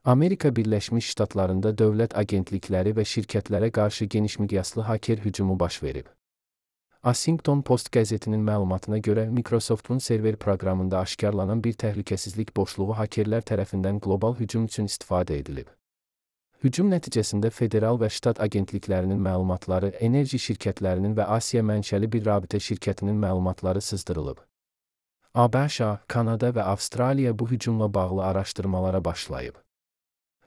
Amerika Birləşmiş Ştatlarında dövlət agentlikləri və şirkətlərə qarşı geniş miqyaslı haker hücumu baş verib. Washington Post qəzetinin məlumatına görə Microsoft'un server proqramında aşkarlanan bir təhlükəsizlik boşluğu hakerlər tərəfindən qlobal hücum üçün istifadə edilib. Hücum nəticəsində federal və ştat agentliklərinin məlumatları, enerji şirkətlərinin və Asiya mənşəli bir rabitə şirkətinin məlumatları sızdırılıb. ABŞ, Kanada və Avstraliya bu hücumla bağlı araşdırmalara başlayıb.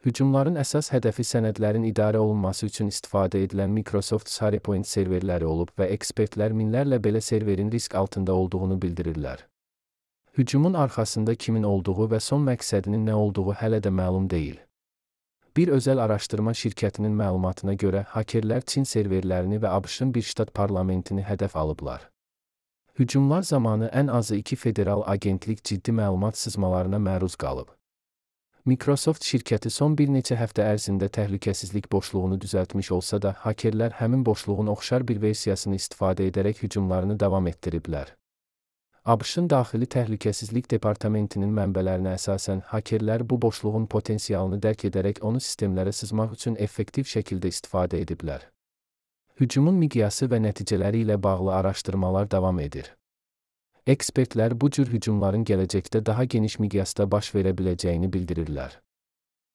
Hücumların əsas hədəfi sənədlərin idarə olunması üçün istifadə edilən Microsoft SharePoint serverləri olub və ekspertlər minlərlə belə serverin risk altında olduğunu bildirirlər. Hücumun arxasında kimin olduğu və son məqsədinin nə olduğu hələ də məlum deyil. Bir özəl araşdırma şirkətinin məlumatına görə hakerlər Çin serverlərini və ABŞ-ın bir ştat parlamentini hədəf alıblar. Hücumlar zamanı ən azı 2 federal agentlik ciddi məlumat sızmalarına məruz qalıb. Microsoft şirkəti son bir neçə həftə ərzində təhlükəsizlik boşluğunu düzəltmiş olsa da, hakerlər həmin boşluğun oxşar bir versiyasını istifadə edərək hücumlarını davam etdiriblər. ABŞ-ın Daxili Təhlükəsizlik Departamentinin mənbələrinə əsasən, hakerlər bu boşluğun potensialını dərk edərək onu sistemlərə sızmaq üçün effektiv şəkildə istifadə ediblər. Hücumun miqyası və nəticələri ilə bağlı araşdırmalar davam edir. Ekspertlər bu cür hücumların gələcəkdə daha geniş miqyasda baş verə biləcəyini bildirirlər.